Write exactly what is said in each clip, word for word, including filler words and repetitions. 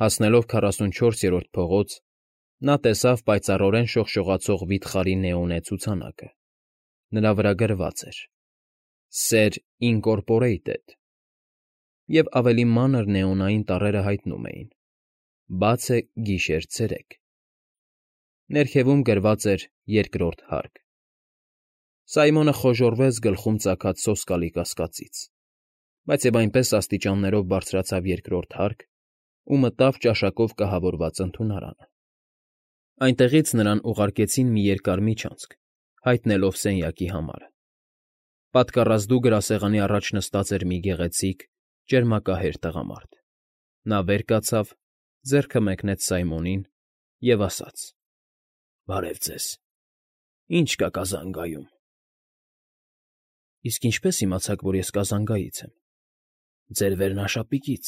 Հասնելով քառասունչորսերորդ փողոց, նա տեսավ պայծառորեն շողշողացող վիթխարի նեոնե ցուցանակը. նրա վրա գրված էր. «Սեր Ինկորպորեյթեդ», և ավելի մանր նեոնային տառերը հայտնում էին. «Բաց է գիշեր֊ցերեկ»։ Ներքևում գրված էր երկրորդ հարկ։ Սայմոնը խոժոռվեց գլխում ծագած սոսկալի կասկածից, բայց և այնպես աստիճաններով բարձրացավ երկրորդ հարկ ու մտավ ճաշակով կահավորված ընդունարանը։ Այնտեղից նրան ուղարկեցին մի երկար միջանցք, հայտնելով սենյակի համարը։ Պատկառազդու գրասեղանի առաջ նստած էր մի գեղեցիկ, ճերմակահեր տղամարդ։ Նա վեր կացավ, ձեռքը մեկնեց Սայմոնին և ասաց. «Բարև ձեզ, ի՞նչ կա կազանգայում»։ «Իսկ ինչպե՞ս իմացաք, որ ես կազանգայից եմ»։ «Ձեր վերնաշապիկից։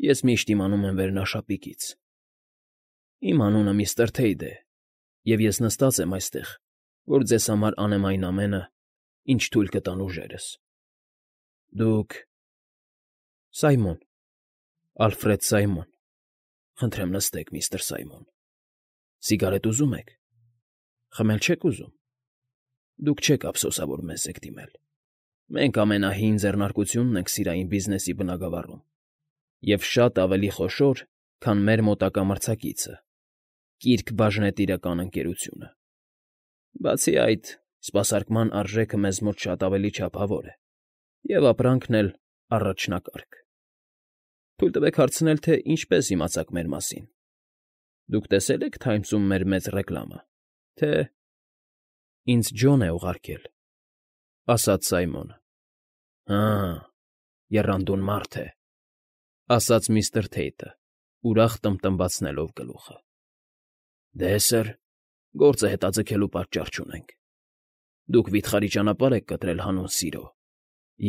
Ես միշտ իմանում եմ վերնաշապիկից։ Իմ անունը միստր Թեյդ է, և ես նստած եմ այստեղ, որ ձեզ համար անեմ այն ամենը, ինչ թույլ կտան ուժերս։ Դուք… Սայմոն, Ալֆրեդ Սայմոն… Խնդրեմ նստեք, միստր Սայմոն… Սիգարետ ուզում եք… Խմել չեք ուզում… Դուք չեք ափսոսավոր մեզ եք դիմել… Մենք ամենահին ձեռնարկությունն ենք սիրային բիզնեսի բնագավառում և շատ ավելի խոշոր, քան մեր մոտակա մրցակիցը՝ Կիրք բաժնետիրական ընկերությունը։ Բացի այդ, սպասարկման արժեքը մեզ մոտ շատ ավելի չափավոր է և ապրանքն էլ առաջնակարգ։ Թույլ տվեք հարցնել, թե ինչպես իմացաք մեր մասին։ Դուք տեսե՞լ եք Թայմսում մեր մեծ ռեկլամը, թե… Ինձ Ջոն է ուղարկել, ֊ ասաց Սայմոնը։ ֊ Հը՜, եռանդուն մարդ է, ֊ ասաց միստր Թեյտը, ուրախ տմբտմբացնելով գլուխը։ ֊ Դե, սըր, գործը հետաձգելու պատճառ չունենք։ Դուք վիթխարի ճանապարհ եք կտրել հանուն սիրո,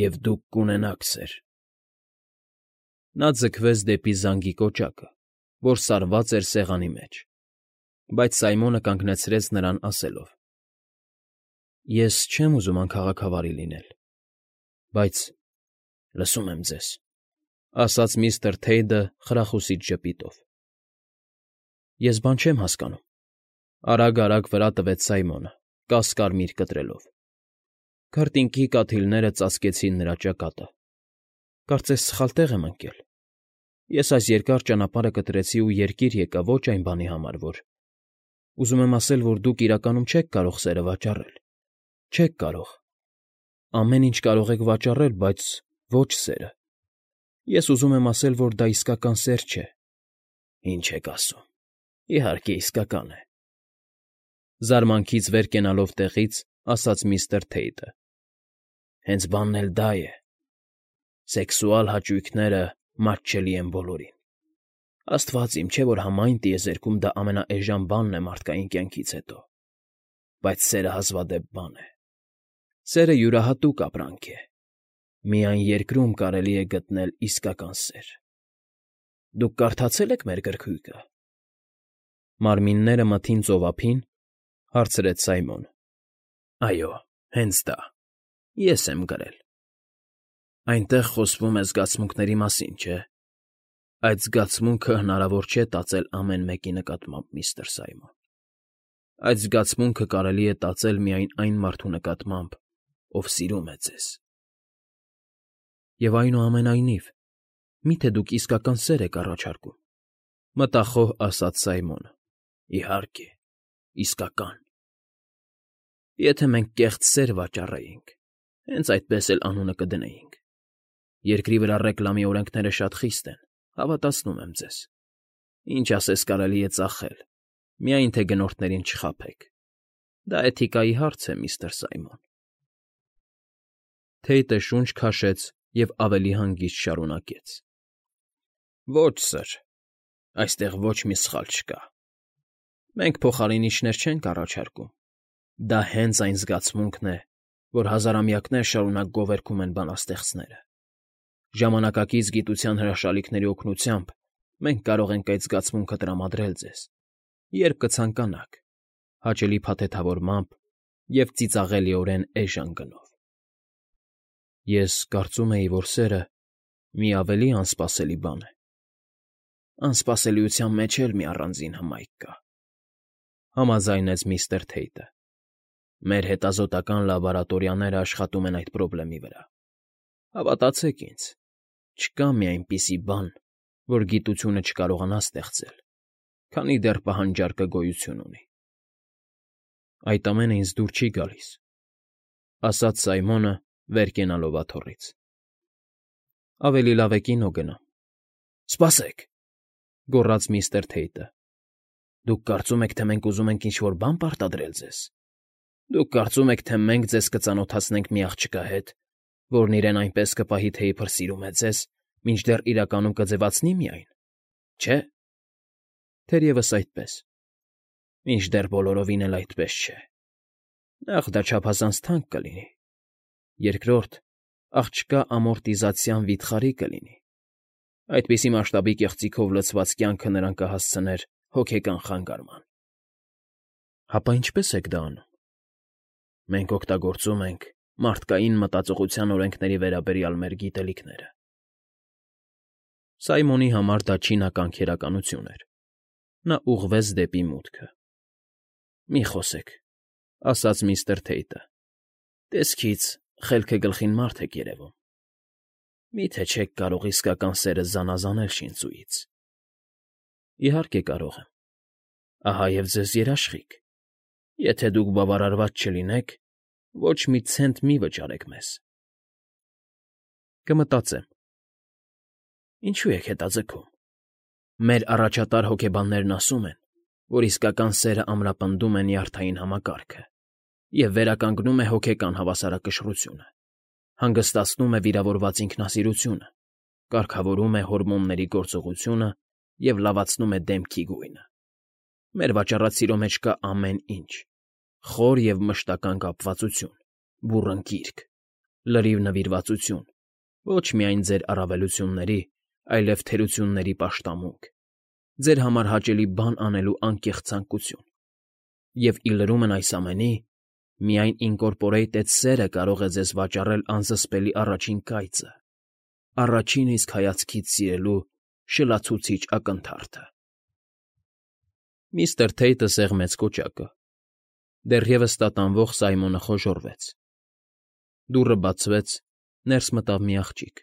և դուք կունենաք, սըր… Նա ձգվեց դեպի զանգի կոճակը, որ սարված էր սեղանի մեջ, բայց Սայմոնը կանգնեցրեց նրան, ասելով. «Ես չեմ ուզում անքաղաքավարի լինել, բայց… Լսում եմ ձեզ, ֊ ասաց միստր Թեյդը խրախուսիչ ժպիտով։ ֊ Ես բան չեմ հասկանում, ֊ արագ֊արագ վրա տվեց Սայմոնը, կաս֊կարմիր կտրելով։ Քրտինքի կաթիլները ծածկեցին նրա ճակատը։ Կարծես սխալ տեղ եմ ընկել։ Ես այս երկար ճանապարհը կտրեցի ու երկիր եկա ոչ այն բանի համար, որ… Ուզում եմ ասել, որ դուք իրականում չեք կարող սերը վաճառել, չեք կարող… Ամեն ինչ կարող եք վաճառել, բայց ոչ սերը… Ես ուզում եմ ասել, որ դա իսկական սեր չէ։ ֊ Ինչ եք ասում… Իհարկե, իսկական է… Զարմանքից վեր կենալով տեղից, ասաց միստր Թեյտը։ Հենց բանն էլ դա է… Սեքսուալ հաճույքները մատչելի են բոլորին… Աստված իմ, չէ՞ որ համայն տիեզերքում դա ամենաէժան բանն է մարդկային կյանքից հետո… Բայց սերը հազվադեպ բան է… Սերը յուրահատուկ ապրանք է… Միայն երկրում կարելի է գտնել իսկական սեր… Դուք կարդացե՞լ եք մեր գրքույկը։ ֊ Մարմինները մթին ծովափի՞ն, ֊ հարցրեց Սայմոնը։ ֊ Այո, հենց դա… Ես եմ գրել… Այնտեղ խոսվում է զգացմունքների մասին, չէ՞… Այդ զգացմունքը հնարավոր չէ տածել ամեն մեկի նկատմամբ, միստր Սայմոն… Այդ զգացմունքը կարելի է տածել միայն այն մարդու նկատմամբ, ով սիրում է ձեզ… ֊ Եվ այնուամենայնիվ, մի՞թե դուք իսկական սեր եք առաջարկում, ֊ մտախոհ ասաց Սայմոնը։ ֊ Իհարկե, իսկական… Եթե մենք կեղծ սեր վաճառեինք, հենց այդպես էլ անունը կդնեինք… Երկրի վրա ռեկլամի օրենքները շատ խիստ են, հավատացնում եմ ձեզ… Ինչ ասես կարելի է ծախել, միայն թե գնորդներին չխաբեք… Դա էթիկայի հարց է, միստր Սայմոն… Թեյտը շունչ քաշեց և ավելի հանգիստ շարունակեց. ֊ Ոչ, սըր, այստեղ ոչ մի սխալ չկա… Մենք փոխարինիչներ չենք առաջարկում… Դա հենց այն զգացմունքն է, որ հազարամյակներ շարունակ գովերգում են բանաստեղծները… Ժամանակակից գիտության հրաշալիքների օգնությամբ մենք կարող ենք այդ զգացմունքը տրամադրել ձեզ, երբ կցանկանաք, հաճելի փաթեթավորմամբ և ծիծաղելիորեն էժան գնով… Ես կարծում էի, որ սերը մի ավելի անսպասելի բան է… անսպասելիության մեջ էլ մի առանձին հմայք կա,֊ համաձայնեց միստր Թեյթը։ Մեր հետազոտական լաբորատորիաները աշխատում են այդ խնդրի վրա։ Հավատացեք ինձ, չկա մի այնպիսի բան, որ գիտությունը չկարողանա ստեղծել, քանի դեռ պահանջարկը գոյություն ունի։ Այդ ամենը ինձ դուր չի գալիս,֊ ասաց Սայմոնը, վեր կենալով աթոռից։ Ավելի լավ է կինո գնամ։ Սպասեք,֊ գոռաց միստր Թեյթը։ Դուք կարծում եք, թե մենք ուզում ենք ինչ֊որ բան պարտադրել ձեզ։ Դուք կարծում եք, թե մենք ձեզ կծանոթացնենք մի աղջկա հետ, որն իրեն այնպես կպահի, թե իբր սիրում է ձեզ, մինչդեռ իրականում կձևացնի միայն, չէ՞։ Թերևս այդպես, մինչդեռ բոլորովին էլ այդպես չէ։ Նախ դա չափազանց թանկ կլինի, երկրորդ, աղջկա ամորտիզացիան վիթխարի կլինի, այդպիսի մասշտաբի կեղծիքով լցված կյանքը նրան կհասցներ հոգեկան խանգարման։ Հապա ինչպե՞ս եք դա անում։ Մենք օգտագործում ենք մարդկային մտածողության օրենքների վերաբերյալ մեր գիտելիքները։ Սայմոնի համար դա չինական քերականություն էր։ Նա ուղղվեց դեպի մուտքը։ Մի խոսեք,֊ ասաց միստր Թեյթը։ Տեսքից խելքը գլխին մարդ եք երևում։ Մի՞թե չեք կարող իսկական սերը զանազանել շինծուից։ Իհարկե կարող եմ։ Ահա և ձեզ երաշխիք։ Եթե դուք բավարարված չլինեք, ոչ մի ցենտ մի վճարեք մեզ։ Կմտածեմ։ Ինչու եք հետաձգում։ Մեր առաջատար հոգեբաններն ասում են, որ իսկական սերը ամրապնդում է նյարդային համակարգը և վերականգնում է հոգեկան հավասարակշռությունը, հանգստացնում է վիրավորված ինքնասիրությունը, կարգավորում է հորմոնների գործողությունը և լավացնում է դեմքի գույնը։ Մեր վաճառած սիրո մեջ կա ամեն ինչ. խոր և մշտական կապվածություն, բուռն կիրք, լրիվ նվիրվածություն, ոչ միայն ձեր առավելությունների, այլև թերությունների պաշտամունք, ձեր համար հաճելի բան անելու անկեղծ ցանկություն։ Եվ ի լրումն այս ամենի, միայն ինկորպորեյթեդ սերը կարող է ձեզ վաճառել անզսպելի առաջին կայծը, առաջին իսկ հայացքից սիրելու շլացուցիչ ակնթարթը։ Միստր Թեյթը սեղմեց կոճակը։ Դեռևս տատանվող Սայմոնը խոժոռվեց։ Դուռը բացվեց, ներս մտավ մի աղջիկ,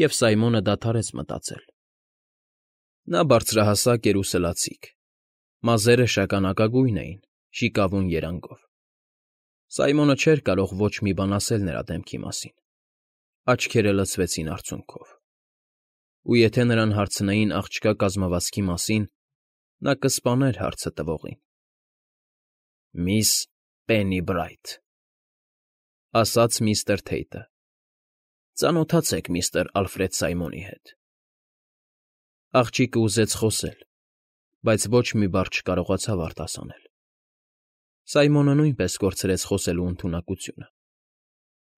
և Սայմոնը դադարեց մտածել։ Նա բարձրահասակ էր ու սլացիկ, մազերը շագանակագույն էին, շիկավուն երանգով։ Սայմոնը չէր կարող ոչ մի բան ասել նրա դեմքի մասին, աչքերը լցվեցին արցունքով։ Ու եթե նրան հարցնեին աղջկա կազմվածքի մասին, նա կսպաներ հարցը տվողին։ Միս Պեննիբրայթ,֊ ասաց միստր Թեյթը։ Ծանոթացեք միստր Ալֆրեդ Սայմոնի հետ։ Աղջիկը ուզեց խոսել, բայց ոչ մի բառ չկարողացավ արտասանել։ Սայմոնը նույնպես կորցրեց խոսելու ընդունակությունը։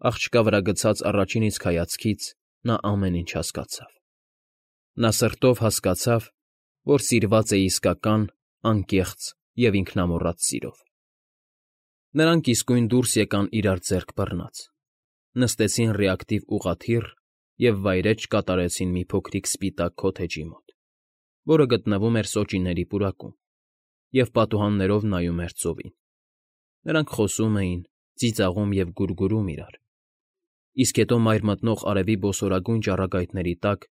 Աղջկա վրա գցած առաջին իսկ հայացքից նա ամեն ինչ հասկացավ։ Նա սրտով հասկացավ, որ սիրված է իսկական, անկեղծ և ինքնամոռաց սիրով։ Նրանք իսկույն դուրս եկան իրար ձեռք բռնած, նստեցին ռեակտիվ ուղղաթիռ և վայրէջք կատարեցին մի փոքրիկ սպիտակ քոթեջի մոտ, որը գտնվում էր սոճիների պուրակում, և պատուհաններով նայում էր ծովին։ Նրանք խոսում էին, ծիծաղում և գուրգուրում իրար, իսկ հետո մայր մտնող արևի բոսորագույն ճառագայթների տակ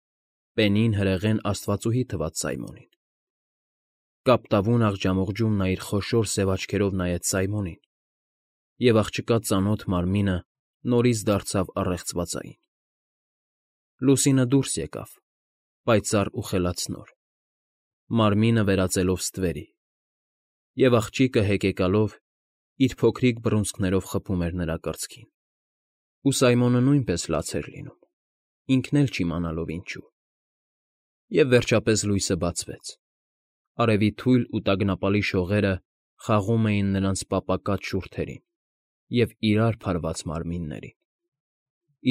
պենին հրեղեն աստվածուհի թվաց Սայմոնին։ Կապտավուն աղջամուղջում նա իր խոշոր սև աչքերով նայեց Սայմոնին, և աղջկա ծանոթ մարմինը նորից դարձավ առեղծվածային։ Լուսինը դուրս եկավ, պայծառ ու խելացնոր, մարմինը վերածելով ստվերի, և աղջիկը հեկեկալով իր փոքրիկ բռունցքներով խփում էր նրա կրծքին։ Ու Սայմոնը նույնպես լաց էր լինում, ինքն էլ չիմանալով ինչու։ Եվ վերջապես լույսը բացվեց։ Արևի թույլ ու տագնապալի շողերը խաղում էին նրանց պապակած շուրթերին և իրար փարված մարմիններին,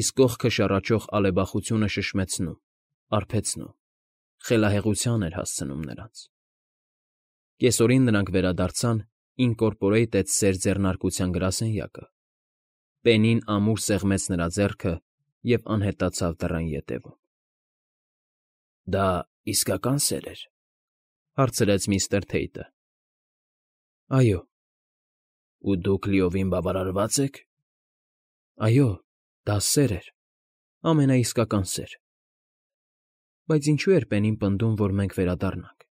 իսկ կողքը շառաչող ալեբախությունը շշմեցնում, արբեցնում, խելահեղության էր հասցնում նրանց։ Կեսօրին նրանք վերադարձան ինկորպորեյթեդ սեր ձեռնարկության գրասենյակը։ Պենին ամուր սեղմեց նրա ձեռքը և անհետացավ դռան ետևում։ Դա իսկական սեր էր,֊ հարցրեց միստր Թեյթը։ ֊ Այո։ ֊ Ու դուք լիովին բավարարվա՞ծ եք։ ֊ Այո, դա սեր էր, ամենաիսկական սեր։ ֊ Բայց ինչո՞ւ էր Պենին պնդում, որ մենք վերադառնանք։ ֊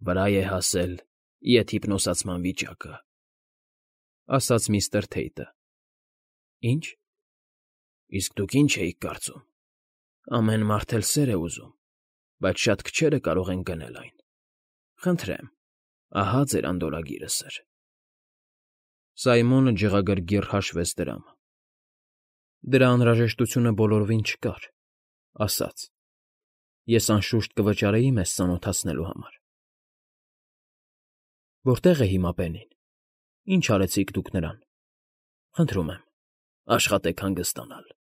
Վրա է հասել եթիպնոսացման վիճակը,֊ ասաց միստր Թեյթը։ ֊ Ի՞նչ։ ֊ Իսկ դուք ի՞նչ էիք կարծում։ Ամեն մարդ էլ սեր է ուզում, բայց շատ քչերը կարող են գնել այն։ Խնդրեմ, ահա ձեր անդորրագիրը, սըր։ Սայմոնը ջղագրգիռ հաշվեց դրամը։ Դրա անհրաժեշտությունը բոլորովին չկար,֊ ասաց։ Ես անշուշտ կվճարեի մեզ ծանոթացնելու համար։ ֊ Որտե՞ղ է հիմա Պենին։ Ինչ արեցիք դուք նրան։ Խնդրում եմ, աշխատեք հանգստանալ,֊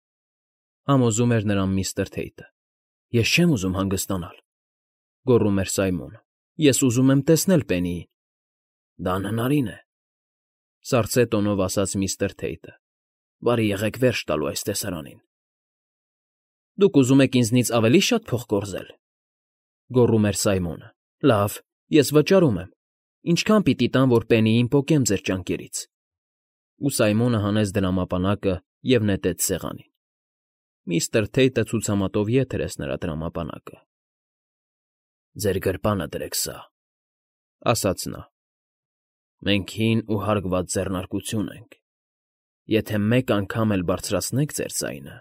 համոզում էր նրան միստր Թեյթը։ Ես չեմ ուզում հանգստանալ,֊ գոռում էր Սայմոնը։ Ես ուզում եմ տեսնել Պենիին։ ֊ Դա անհնարին է,֊ սառցե տոնով ասաց միստր Թեյթը։ Բարի եղեք վերջ տալու այս տեսարանին։ ֊ Դուք ուզում եք ինձնից ավելի շատ փող կորզել,֊ գոռում էր Սայմոնը։ Լավ, ես վճարում եմ։ Ինչքա՞ն պիտի տամ, որ Պենիին պոկեմ ձեր ճանկերից։ Ու Սայմոնը հանեց դրամապանակը և նետեց սեղանին։ Միստր Թեյթը ցուցամատով ետ հրեց նրա դրամապանակը։ ֊ Ձեր գրպանը դրեք սա,֊ ասաց նա։ Մենք հին ու հարգված ձեռնարկություն ենք. եթե մեկ անգամ էլ բարձրացնեք ձեր ձայնը,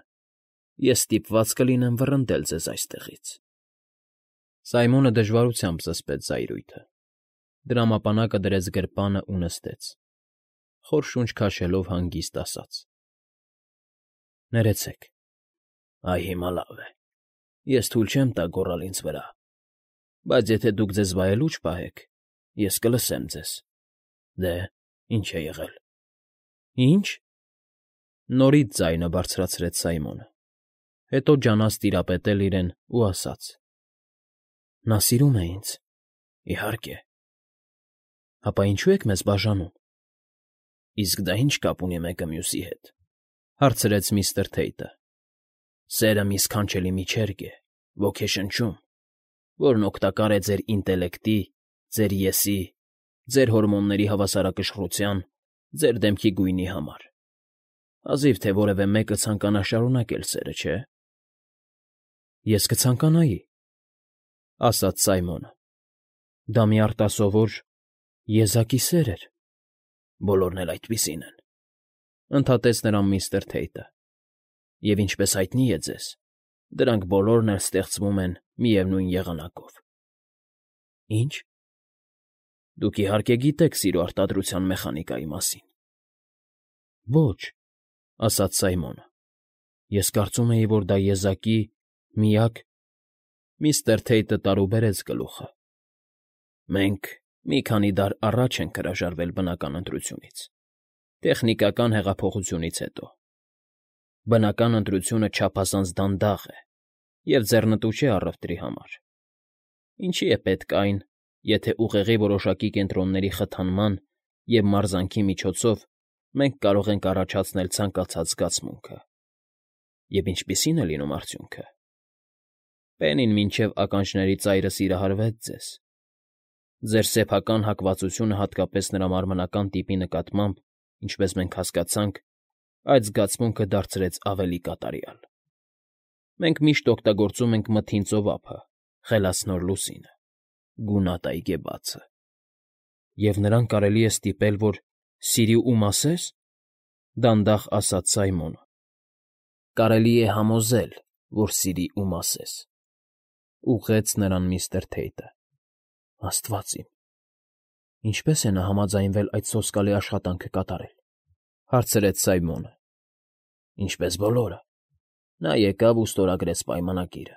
ես ստիպված կլինեմ վռնդել ձեզ այստեղից։ Սայմոնը դժվարությամբ զսպեց զայրույթը։ Դրամապանակը դրեց գրպանը ու նստեց։ Խոր շունչ քաշելով հանգիստ ասաց. Ներեցեք։ Այ հիմա լավ է։ Ես թույլ չեմ տա գոռալ ինձ վրա, բայց եթե դուք ձեզ վայելուչ պահեք, ես կլսեմ ձեզ։ Դե, ինչ է եղել։ Ինչ։ Նորից ձայնը բարձրացրեց Սայմոնը, հետո ջանաց տիրապետել իրեն ու ասաց. Նա սիրում է ինձ։ Իհարկե։ Հապա ինչու եք մեզ բաժանում։ Իսկ դա ինչ կապ ունի մեկը մյուսի հետ,֊ հարցրեց միստր Թեյթը։ Սերը մի սքանչելի միջերգ է, ոգեշնչում, որն օգտակար է ձեր ինտելեկտի, ձեր ես֊ի, ձեր հորմոնների հավասարակշռության, ձեր դեմքի գույնի համար։ Հազիվ թե որևէ մեկը ցանկանա շարունակել սերը, չէ՞։ Ես կցանկանայի,֊ ասաց Սայմոնը։ Դա մի արտասովոր, եզակի սեր էր։ Բոլորն էլ այդպիսին են,֊ ընդհատեց նրան միստր Թեյթը։ Եվ ինչպես հայտնի է ձեզ, դրանք բոլորն էլ ստեղծվում են միևնույն եղանակով։ Ինչ։ Դուք իհարկե գիտեք սիրո արտադրության մեխանիկայի մասին։ Ոչ,֊ ասաց Սայմոնը։ Ես կարծում էի, որ դա եզակի միակ… Միստր Թեյթը տարուբերեց գլուխը։ Մենք մի քանի դար առաջ ենք հրաժարվել բնական ընտրությունից, տեխնիկական հեղափոխությունից հետո։ Բնական ընտրությունը չափազանց դանդաղ է և ձեռնտու չէ առևտրի համար։ Ինչի է պետք այն, եթե ուղեղի որոշակի կենտրոնների խթանման և մարզանքի միջոցով մենք կարող ենք առաջացնել ցանկացած զգացմունքը։ Եվ ինչպիսի՞ն է լինում արդյունքը։ Պենին մինչև ականջների ծայրը սիրահարվեց ձեզ։ Ձեր սեփական հակվածությունը հատկապես նրա մարմնական տիպի նկատմամբ, ինչպես մենք հասկացանք, այդ զգացմունքը դարձրեց ավելի կատարյալ։ Մենք միշտ օգտագործում ենք մթին ծովափը, խելացնոր լուսինը, գունատ այգեբացը։ Եվ նրան կարելի է ստիպել, որ սիրի ու մասես,֊ դանդաղ ասաց Սայմոնը։ Կարելի է համոզել, որ սիրի ու մասես,֊ ուղղեց նրան միստր Թեյթը։ Աստված իմ… Ինչպե՞ս է նա համաձայնվել այդ սոսկալի աշխատանքը կատարել,֊ հարցրեց Սայմոնը։ Ինչպես բոլորը։ Նա եկավ ու ստորագրեց պայմանագիրը։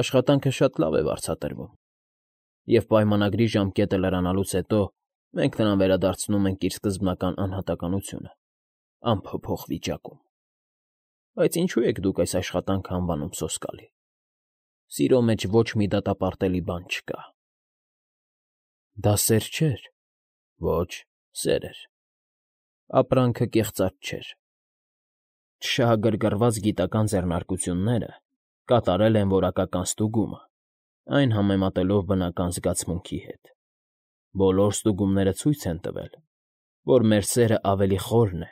Աշխատանքը շատ լավ է վարձատրվում, և պայմանագրի ժամկետը լրանալուց հետո մենք նրան վերադարձնում ենք իր սկզբնական անհատականությունը, անփոփոխ վիճակում։ Բայց ինչու եք դուք այս աշխատանքը անվանում սոսկալի։ Սիրո մեջ ոչ մի դատապարտելի բան չկա։ Դա սեր չէր։ Ոչ, սեր էր։ Ապրանքը կեղծած չէր։ Չշահագրգռված գիտական ձեռնարկությունները կատարել են որակական ստուգումը, այն համեմատելով բնական զգացմունքի հետ։ Բոլոր ստուգումները ցույց են տվել, որ մեր սերն ավելի խորն է,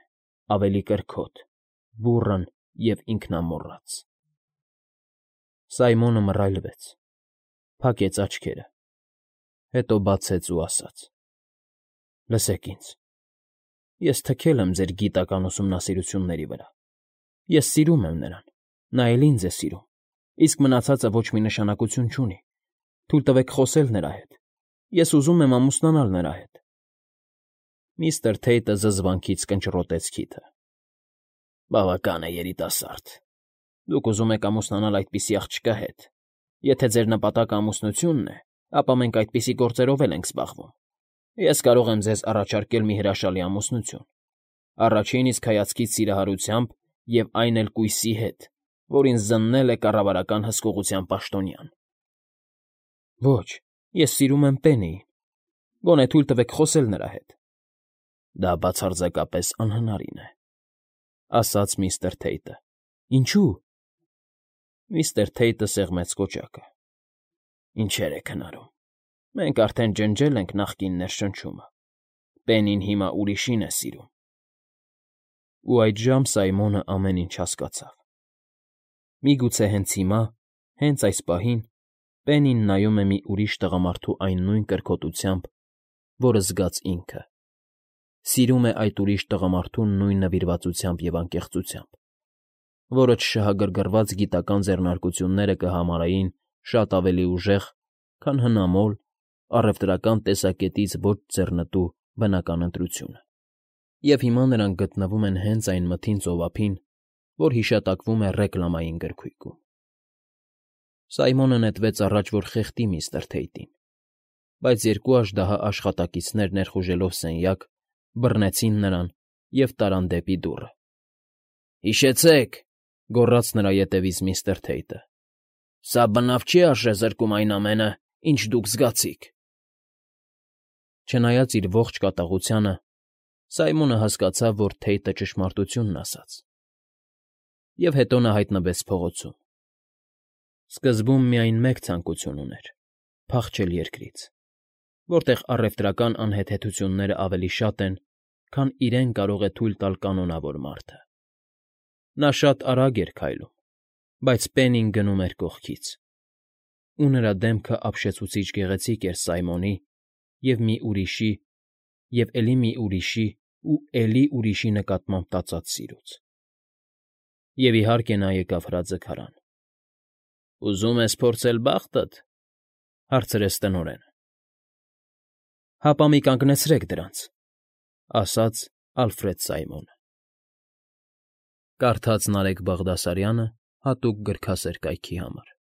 ավելի կրքոտ, բուռն և ինքնամոռաց։ Սայմոնը մռայլվեց, փակեց աչքերը, հետո բացեց ու ասաց. «Լսեք ինձ, ես թքել եմ ձեր գիտական ուսումնասիրությունների վրա, ես սիրում եմ նրան, նա էլ ինձ է սիրում, իսկ մնացածը ոչ մի նշանակություն չունի, թույլ տվեք խոսել նրա հետ, ես ուզում եմ ամուսնանալ նրա հետ»։ Միստր Թեյտը զզվանքից կնճռոտեց քիթը։ «Բավական է, երիտասարդ, դուք ուզում եք ամուսնանալ այդպիսի աղջկա հետ, եթե ձեր նպատակը ամուսնությունն է, ապա մենք այդպիսի գործերով էլ ենք զբաղվում։ Ես կարող եմ ձեզ առաջարկել մի հրաշալի ամուսնություն, առաջին իսկ հայացքից սիրահարությամբ և այն էլ կույսի հետ, որ ինձ զննել է կառավարական հսկողության պաշտոնյան»։ «Ոչ, ես սիրում եմ Պեննիին, գոնե թույլ տվեք խոսել նրա հետ»։ «Դա բացարձակապես անհնարին է», ասաց միստր Թեյտը։ «Ինչո՞ւ»։ Միստր Թեյտը սեղմեց կոճակը։ «Ինչեր եք հնարում, մենք արդեն ջնջել ենք նախկին ներշնչումը, Պեննին հիմա ուրիշին է սիրում»։ Ու այդժամ Սայմոնը ամեն ինչ հասկացավ։ Միգուցե հենց հիմա, հենց այս պահին Պեննին նայում է մի ուրիշ տղամարդու այն նույն կրքոտությամբ, որը զգաց ինքը, սիրում է այդ ուրիշ տղամարդուն նույն նվիրվածությամբ և անկեղծությամբ, որը չշահագրգռված գիտական ձեռնարկությունները կհամարային շատ ավելի ուժեղ, քան հնամոլ, առևտրական տեսակետից ոչ ձեռնտու բնական ընտրությունը։ Եվ հիմա նրանք գտնվում են հենց այն մթին ծովափին, որ հիշատակվում է ռեկլամային գրքույկում։ Սայմոնը նետվեց առաջ, որ խեղդի միստր Թեյտին, բայց երկու աժդահա աշխատակիցներ ներխուժելով սենյակ, բռնեցին նրան և տարան դեպի դուռը։ «Հիշեցե՛ք,» գոռաց նրա ետևից միստր Թեյտը,֊ «սա բնավ չի արժեզրկում այն ամենը, ինչ դուք զգացիք»։ Չնայած իր ողջ կատաղությանը, Սայմոնը հասկացավ, որ Թեյտը ճշմարտությունն ասաց։ Եվ հետո նա հայտնվեց փողոցում։ Սկզբում միայն մեկ ցանկություն ուներ՝ փախչել երկրից, որտեղ առևտրական անհեթեթություններն ավելի շատ են, քան իրեն կարող է թույլ տալ կանոնավոր մարդը։ Նա շատ արագ էր քայլում, բայց Պեննին գնում էր կողքից, ու նրա դեմքը ապշեցուցիչ գեղեցիկ էր Սայմոնի և մի ուրիշի, և էլի մի ուրիշի ու էլի ուրիշի նկատմամբ տածած սիրուց։ Եվ, իհարկե, նա եկավ հրաձգարան։ «Ուզում ես փորձել բախտդ,֊ հարցրեց տնօրենը։ «Հապա մի կանգնեցրեք դրանց»,֊ ասաց Ալֆրեդ Սայմոնը։ Կարդաց Նարեկ Բաղդասարյանը հատուկ գրքասեր կայքի համար։